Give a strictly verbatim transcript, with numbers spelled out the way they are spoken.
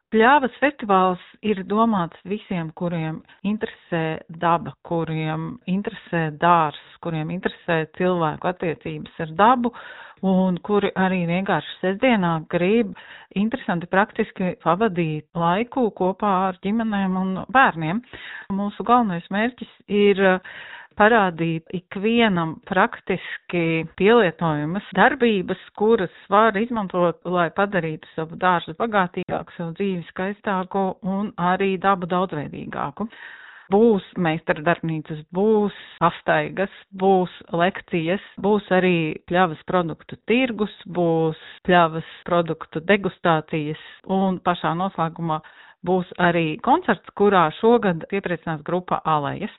Pļavas festivāls ir domāts visiem, kuriem interesē daba, kuriem interesē dārs, kuriem interesē cilvēku attiecības ar dabu un kuri arī vienkārši sestdienā grib interesanti praktiski pavadīt laiku kopā ar ģimenēm un bērniem. Mūsu galvenais mērķis ir parādīt ikvienam praktiski pielietojamas darbības, kuras var izmantot, lai padarītu savu dārzu bagātīgāku, savu dzīvi skaistāku un arī dabu daudzveidīgāku. Būs meistardarbnīcas, būs pastaigas, būs lekcijas, būs arī pļavas produktu tirgus, būs pļavas produktu degustācijas un pašā noslēgumā būs arī koncerts, kurā šogad iepriecinās grupa Alejas.